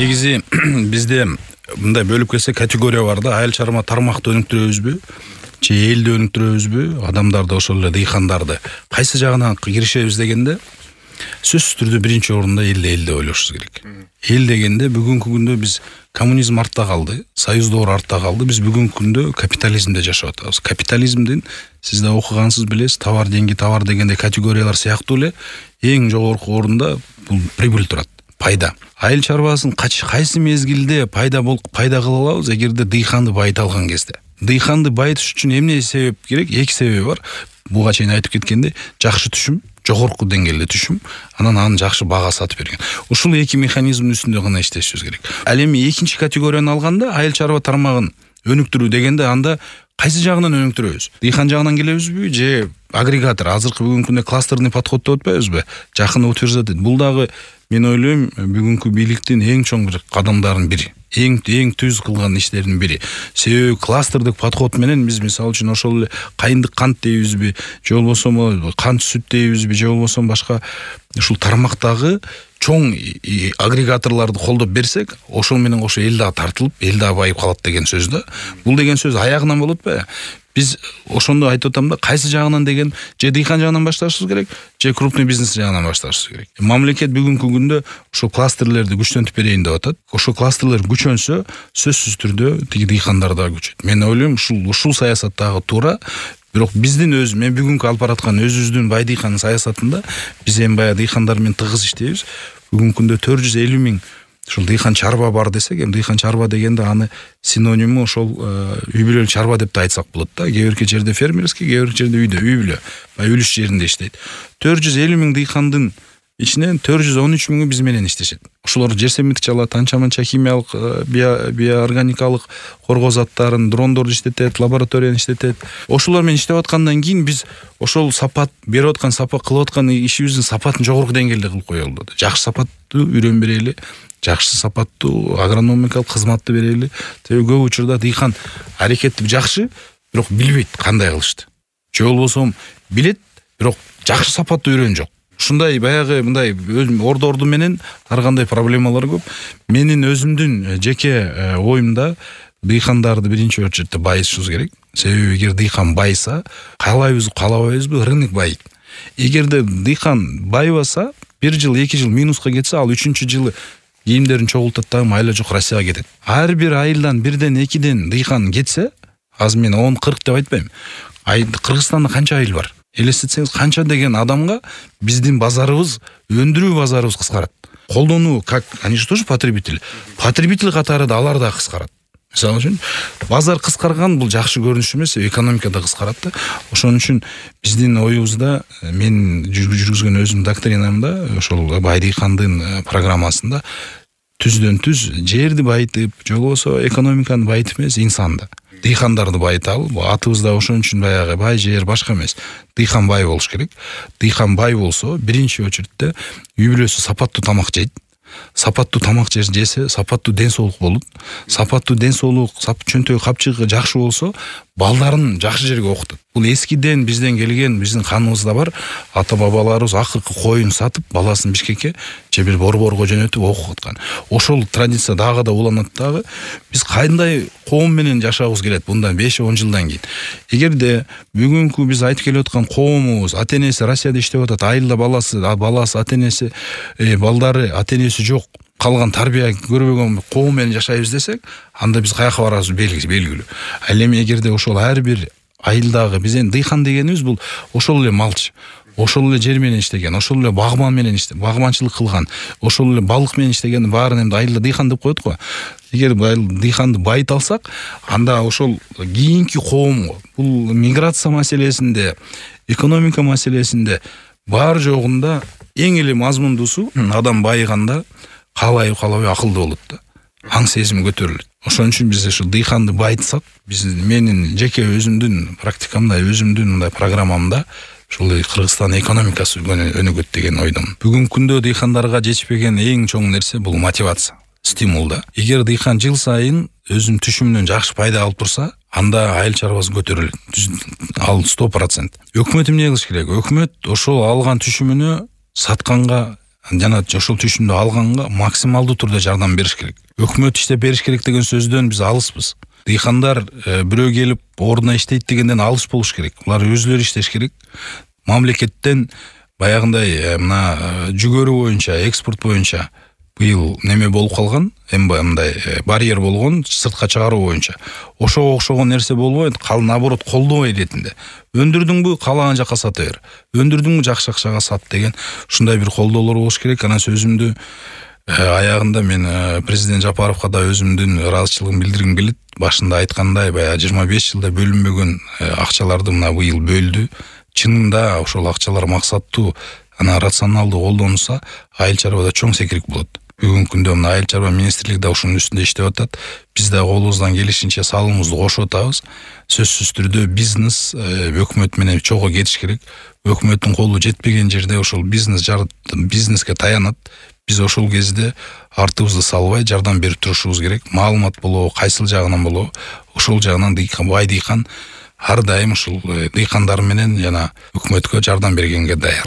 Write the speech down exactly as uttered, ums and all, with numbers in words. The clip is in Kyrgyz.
негизи бизде мындай бөлүп келсек категория бар да. Айыл чарба тармакты өнүктүрөбүзбү же элди өнүктүрөбүзбү, адамдарды ошол эле дыйкандарды кайсы жагынан киришебиз дегенде сөзсүз түрдө биринчи орунда элди элди ойлошубуз керек. Эл дегенде бүгүнкү күндө биз коммунизм артта калды, союз доору артта калды. Биз бүгүнкү күндө капитализмде жашап атабыз. Капитализмдин сиз да окугансыз билесиз, товар деньги товар дегенде категориялар сыяктуу эле эң жогорку орунда бул прибыль турат, пайда. Айыл чарбасын кайсы мезгилде пайда болуп пайда кыла алабыз эгерде дыйканды байыта алган кезде. Дыйканды байытыш үчүн эмне себеп керек? Эки себеби бар. Буга чейин айтып кеткендей, жакшы түшүм, жогорку деңгээлде түшүм, анан аны жакшы бага сатып берген. Ушул эки механизмдин үстүндө гана иштешибиз керек. Ал эми экинчи категорияны алганда айыл чарба тармагын өнүктүрүү дегенде анда кайсы жагынан өнүктүрөбүз? Дыйкан жагынан келебизби же агрегатор? Азыркы бүгүнкү күндө кластерный подход деп атпайбызбы? Жакын утверждать. Бул дагы мен ойлойм бүгүнкү бийликтин эң чоң бир кадамдарынын бири. Эң эң түз кылган иштердин бири. Себеби кластердик подход менен биз мисалы үчүн ошол эле кайындык кант дейбизби, же болбосо кант сүт дейбизби, же болбосо башка ушул тармактагы чоң агрегаторлорду колдоп берсек, ошол менен кошо эл дагы тартылып, эл дагы байып калат деген сөз да. Бул деген сөз аягынан болот атпайбы? Биз ошондо айтып атам да, кайсы жагынан деген же дыйкан жагынан башташыбыз керек, же крупный бизнес жагынан башташыбыз керек. Мамлекет бүгүнкү күндө ошо кластерлерди күчтөнтүп берейин деп атат. Ошо кластерлер күчөнсө, сөзсүз түрдө тиги дыйкандар дагы күчөйт. Мен ойлойм, ушул ушул саясат дагы туура. Бирок биздин өз, мен бүгүнкү алып бараткан өзүбүздүн бай дыйкан саясатында биз эми баягы дыйкандар менен тыгыз иштейбиз. Бүгүнкү күндө төрт жүз элүү миң ушул дыйкан чарба бар десек, эми дыйкан чарба дегенде аны синониму ошол үй бүлөлүк чарба деп да айтсак болот да. Кээ бирки жерде фермерский, кээ бирки жерде үйдө, үй бүлө, бай үлүш жеринде иштейт. төрт жүз элүү миң дыйкандын ичинен төрт жүз он үч миңи биз менен иштешет. Ошолор жер семиндик чалат, анча-манча химиялык, биоорганикалык коргоо заттарын, дрондорду иштетет, лабораторияны иштетет. Ошолор менен иштеп аткандан кийин биз ошол сапат берип аткан, сапат кылып аткан ишибиздин сапатын жогорку деңгээлде кылып коелу деп. Жакшы сапаттуу үйрөн берели, жакшы сапаттуу агрономикалык кызматты берели. Себеби көп учурда дыйкан аракети жакшы, бирок билбейт кандай кылышты. Же болбосо билет, бирок жакшы сапаттуу үйрөн жок. Ушундай баягы мындай ордорду менен ар кандай проблемалар көп. Менин өзүмдүн жеке оюмда дыйкандарды биринчи очередде байытышыбыз керек. Себеби эгер дыйкан байыса, каалайбызбы, каалабайбызбы, рынок байыйт. Эгерде дыйкан байыбаса, бир жыл, эки жыл минуска кетсе, ал үчүнчү жылы кийимдерин чогултат дагы майла жок Россияга кетет. Ар бир айылдан бирден, экиден дыйкан кетсе, азыр мен он кырк деп айтпайм. Кыргызстанда канча айыл бар? Элестетсеңиз, канча деген адамга биздин базарыбыз, өндүрүү базарыбыз кыскарат. Колдонуу, как они же тоже потребитель. Потребитель катары да алар да кыскарат. Мисалы үчүн, базар кыскарган бул жакшы көрүнүш эмес, экономика да кыскарат да. Ошон үчүн биздин оюбузда, мен жүргүзгөн өзүм доктринамда, ошол бай дыйкандын программасында түздөн түз жерди байытып, же болбосо экономиканы байытып эмес, инсанды, дыйкандарды байыталы. Атыбызда ошон үчүн баягы бай жер башка эмес. Дыйкан бай болуш керек. Дыйкан бай болсо, биринчи очередде үй бүлөсү сапаттуу тамак жейт. Сапаттуу тамак жесе, сапаттуу ден соолук болот. Сапаттуу ден соолук, чөнтөй капчыгы жакшы болсо, балдарын жакшы жерге окутат. Бул эскиден бизден келген, биздин каныбызда бар. Ата бабаларыбыз акыркы коюн сатып, баласын Бишкекке же бир борборго жөнөтүп окуткан. Ошол традиция дагы да уланат дагы. Биз кандай коом менен жашагыбыз келет bundan беш он жылдан кийин. Эгерде бүгүнкү биз айтып келип аткан коомубуз, ата-энеси Россияда иштеп атат, айылда баласы, баласы, ата-энеси, балдары, ата-энеси жок, калган тарбия көрбөгөн коом менен жашайбыз десек, анда биз каяка барабыз белгилүү. Ал эми эгерде ошол ар бир айылдагы бизден дыйкан дегенибиз бул ошол эле малчы, ошол эле жер менен иштеген, ошол эле багман менен иштеген, багманчылык кылган, ошол эле балык менен иштеген баарын эми айылда дыйкан деп коет го. Эгер дыйканды байыта алсак, анда ошол кийинки коомго бул миграция маселесинде, экономика маселесинде бар жогунда эң эле мазмундуусу адам байыганда каалайбы каалабай акылдуу болот да. Аң сезими көтөрүлөт. Ошон үчүн биз ушул дыйканды байытсак, биз менин жеке өзүмдүн практикамда, өзүмдүн мындай программамда ушул Кыргызстан экономикасы өнүгөт деген ойдомун. Бүгүнкү күндө дыйкандарга жетишпеген эң чоң нерсе бул мотивация, стимул да. Эгер дыйкан жыл сайын өзүнүн түшүмүнөн жакшы пайда алып турса, анда айыл чарбасы көтөрүлөт. Ал сто процент. Өкмөт эмне кылыш керек? Өкмөт ошол алган түшүмүнө сатканга жана ошол түшүмдү алганга максималдуу түрдө жардам бериш керек. Өкмөт иштеп бериш керек деген сөздөн биз алыспыз. Дыйкандар бирөө келип ордуна иштейт дегенден алыс болуш керек. Булар өзүлөрү иштеш керек. Мамлекеттен баягындай мына жүгөрү боюнча, экспорт боюнча быйыл неме болуп калган, эми мындай барьер болгон сыртка чыгаруу боюнча. Ошого окшогон нерсе болбойт, кал наоборот колдобой иретинде. Өндүрдүңбү, каалаган жака сата бер. Өндүрдүңбү, жакшы акчага сат деген ушундай бир колдоолор болуш керек. Анан сөзүмдү аягында мен президент Жапаровго да өзүмдүн ыраазычылыгымды билдиргим келет. Башында айткандай, баягы жыйырма беш жылда бөлүнбөгөн акчаларды мына быйыл бөлдү. Чынында ошол акчалар максаттуу, ана рационалдуу колдонулса, айыл чарбада чоң секирик болот. Бүгүнкү күндө мына айыл чарба министрлиги да ушунун үстүндө иштеп атат. Биз да колубуздан келишинче салымыбызды кошуп атабыз. Сөзсүз түрдө бизнес өкмөт менен чогуу кетиш керек. Өкмөттүн колу жетпеген жерде ошол бизнес бизнеске таянат. Биз ошол кезде артыбызды салбай жардам берип турушубуз керек. Маалымат болобу, кайсыл жагынан болобу, ошол жагынан дыйкан, бай дыйкан ар дайым ушул дыйкандар менен жана өкмөткө жардам бергенге даяр.